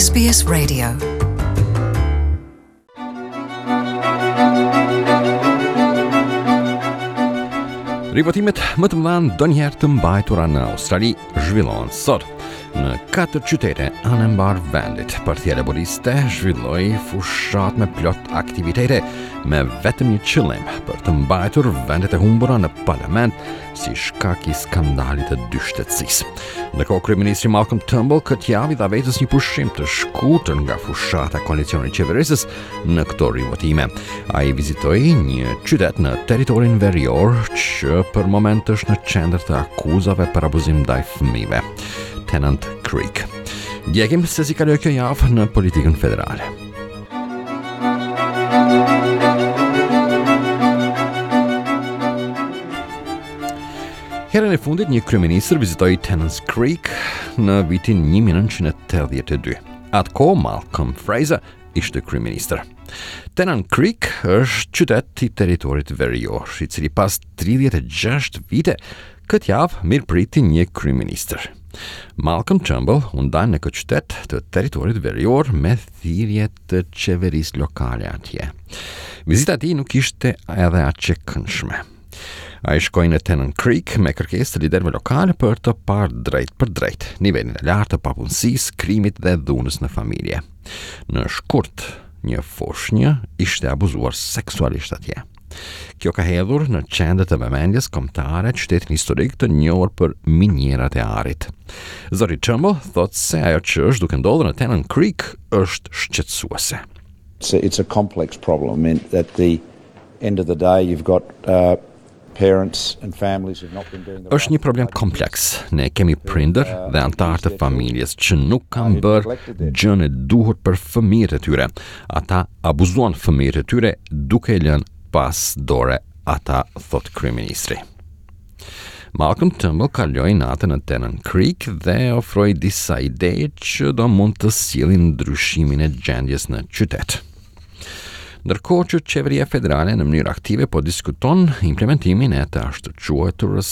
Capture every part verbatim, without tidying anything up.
S B S Radio. Rivotimet më të mëdha ndonjëherë të mbajtura në Australi zhvillohen sot në katër qytete anembanë vendit. Partia Laboriste zhvilloi fushatë me plot aktivitete me vetëm një qëllim, për të mbajtur vendet e humbura në parlament si shkak i skandalit të dyshtetësisë. Ndërkohë, kryeministri Malcolm Turnbull këtë javë i dha vetes një pushim të shkurtër nga fushata e koalicionit qeverisës në këto rivotime. Ai vizitoi një qytet në territorin verior që për moment është në qendër të akuzave për abuzim ndaj fëmijëve, Tennant Creek. Ndjekim se si kaloi kjo javë në politikën federale. Herën e fundit një kryeministër vizitoi Tennant Creek në vitin një mijë e nëntëqind e tetëdhjetë e dy. Atë kohë Malcolm Fraser ishte kryeministër. Tennant Creek është qytet i territorit verior, i cili pas tridhjetë e gjashtë vite këtë javë mirëpriti një kryeministër. Malcolm Turnbull u ndal në këtë qytet të territorit verior me thirrje të qeverisë lokale atje. Vizita e tij nuk ishte edhe aq e këndshme. Ai shkoi në Tennant Creek me kërkesë të liderëve lokale për të parë drejt për drejt nivelin e lartë të papunësisë, krimit dhe dhunës në familje. Në shkurt, një foshnjë ishte abuzuar seksualisht atje. Kjo ka hedhur në qendër të vëmendjes kombëtare qytetin historik të njohur për minierat e arit. Zoti Turnbull thotë se ajo që është duke ndodhur në Tennant Creek është shqetësuese. It's a, it's a complex problem. I mean, at the end of the day, you've got uh, parents and families who've not been doing the Është një problem kompleks. Ne kemi prindër dhe anëtarë të familjes që nuk kanë bërë gjën e duhur për fëmijët e tyre. Ata abuzuan fëmijët e tyre duke e lënë pas dore ata, thot kryeministri. Malcolm Turnbull kaloi natën në Tennant Creek dhe ofroi disa ide që do mund të sjellin ndryshimin e gjendjes në qytet. Ndërkohë që qeveria federale në mënyrë aktive po diskuton implementimin e të ashtu quajturës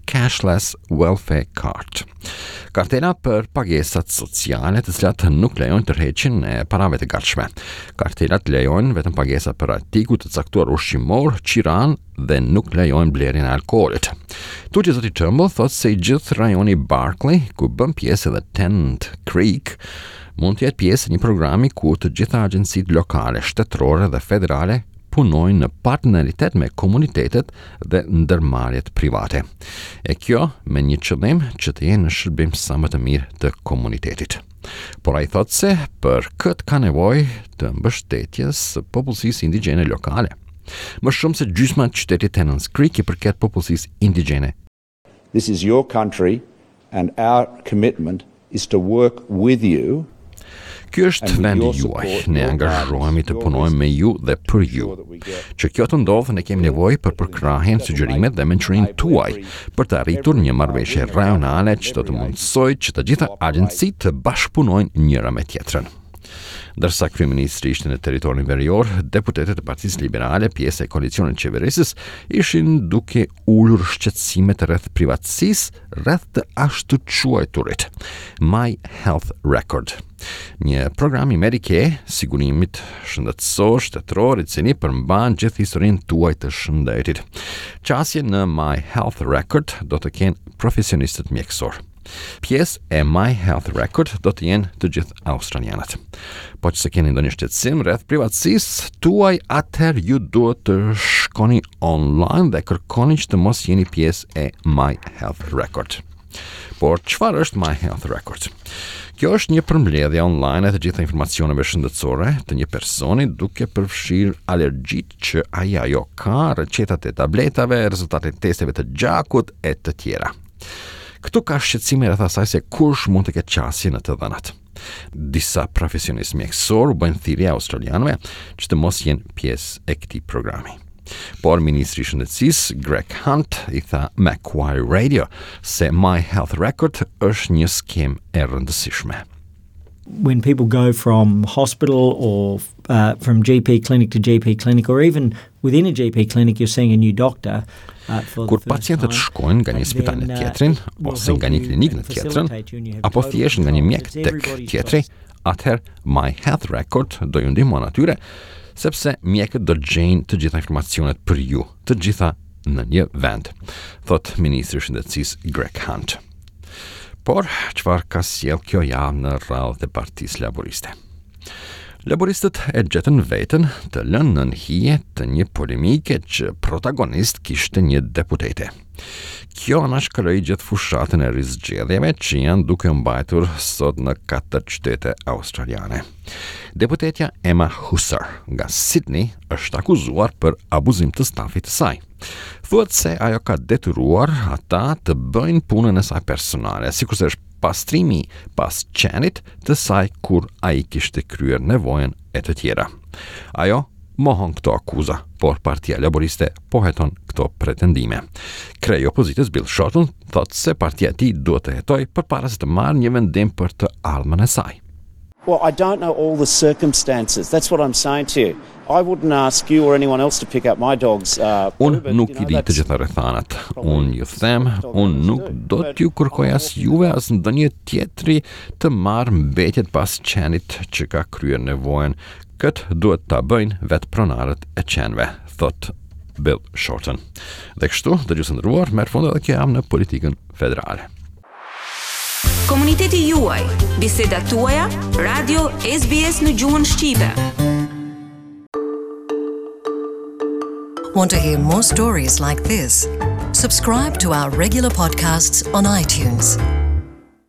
cashless welfare card. Kartela për pagesat sociale, të cilat nuk lejojnë tërheqjen e parave të gatshme. Kartelat lejojnë vetëm pagesa për artikuj të caktuar ushqimor, qiran dhe nuk lejojnë blerjen e alkoolit. Tutje, zoti Turnbull thotë se i gjithë rajoni Barkly, ku bën pjesë edhe Tennant Creek, mund të jetë pjesë e një programi ku të gjitha agjencitë lokale, shtetërore dhe federale punojnë në partneritet me komunitetet dhe ndërmarrjet private. E kjo me një qëllim, që të jenë në shërbim sa më të mirë të komunitetit. Por ai thotë se për këtë ka nevojë të mbështetjes së popullsisë indigjene lokale. Më shumë se gjysma e qytetit Tennant Creek i përket popullsisë indigjene. This is your country, and our commitment is to work with you. Ky është vendi juaj. Ne angazhohemi të punojmë me ju dhe për ju. Që kjo të ndodhë, ne kemi nevojë për përkrahjen, sugjerimet dhe mençurinë tuaj për të arritur një marrëveshje rajonale që do të mundësojë që të gjitha agjencitë të bashkëpunojnë njëra me tjetrën. Ndërsa kryeministri ishte në territorin verior, deputetët e Partisë Liberale, pjesë e koalicionit qeverisës, ishin duke ulur shqetësimet rreth privatësisë, rreth të ashtu quajturit My Health Record. Një program i Medicare, sigurimit shëndetësor shtetëror, i cili përmban gjithë historinë tuaj të shëndetit. Qasje në My Health Record do të kenë profesionistët mjekësor. Pjesë e My Health Record do të jenë të gjithë australianët. Po që se keni ndonjë shqetësim rreth privatësisë tuaj, atëherë ju duhet të shkoni online dhe kërkoni që të mos jeni pjesë e My Health Record. Por çfarë është My Health Record? Kjo është një përmbledhje online e të gjitha informacioneve shëndetësore të një personi, duke përfshirë alergjitë që ai ajo ka, recetat e tabletave, rezultatet e testeve të gjakut e të tjera. Këtu ka shqetësime rreth asaj se kush mund të ketë qasje në të dhënat. Disa profesionistë mjekësor u bëjnë thirrje australianëve që të mos jenë pjesë e këtij programi. Por Ministri i Shëndetësisë Greg Hunt i tha Macquarie Radio se My Health Record është një skemë e rëndësishme. When people go from hospital or uh, from G P clinic to G P clinic, or even within a G P clinic, you're seeing a new doctor. Uh, Kur pacientët shkojnë nga një spital në uh, tjetrin, ose nga një klinikë në tjetrën, apo thjesht nga një mjek tek tjetri, atëherë My Health Record do ju ndihmon atyre, sepse mjekët do gjejnë të gjitha informacionet për ju, të gjitha në një vend, thot Ministri i Shëndetësisë Greg Hunt. Por, çfarë ka sjell kjo javë në radhët e Partisë Laboriste? Laboristët e gjetën veten të lënë nën hije të një polemike që protagonist kishte një deputete. Kjo anashkaloi gjithë fushatën e rizgjedhjeve që janë duke mbajtur sot në katër qytete australiane. Deputetja Emma Husser nga Sydney është akuzuar për abuzim të stafit të saj. Thuhet se ajo ka detyruar ata të bëjnë punën e saj personale, sikurse është pastrimi pas qenit të saj kur ai kishte kryer nevojën e të tjera. Ajo mohon këto akuza, por Partia Laboriste po heton këto pretendime. Kreu i opozitës Bill Shorten thotë se partia e tij duhet të hetojë përpara se të marrë një vendim për të ardhmen e saj. Well, I don't know all the circumstances. That's what I'm saying to you. I wouldn't ask you or anyone else to pick up my dog's uh, Unë nuk i di të gjitha rrethanat. Unë ju them, unë nuk do t'ju kërkoj as juve as ndonjë tjetri të marrë mbetjet pas qenit që ka kryer nevojën. Këtë duhet ta bëjnë vetë pronarët e qenve, thot Bill Shorten. Dhe kështu, dëgjues të nderuar, merr fund edhe kjo javë në politikën federale. Komuniteti juaj, bisedat tuaja, Radio S B S në gjuhën shqipe. Want to hear more stories like this? Subscribe to our regular podcasts on iTunes.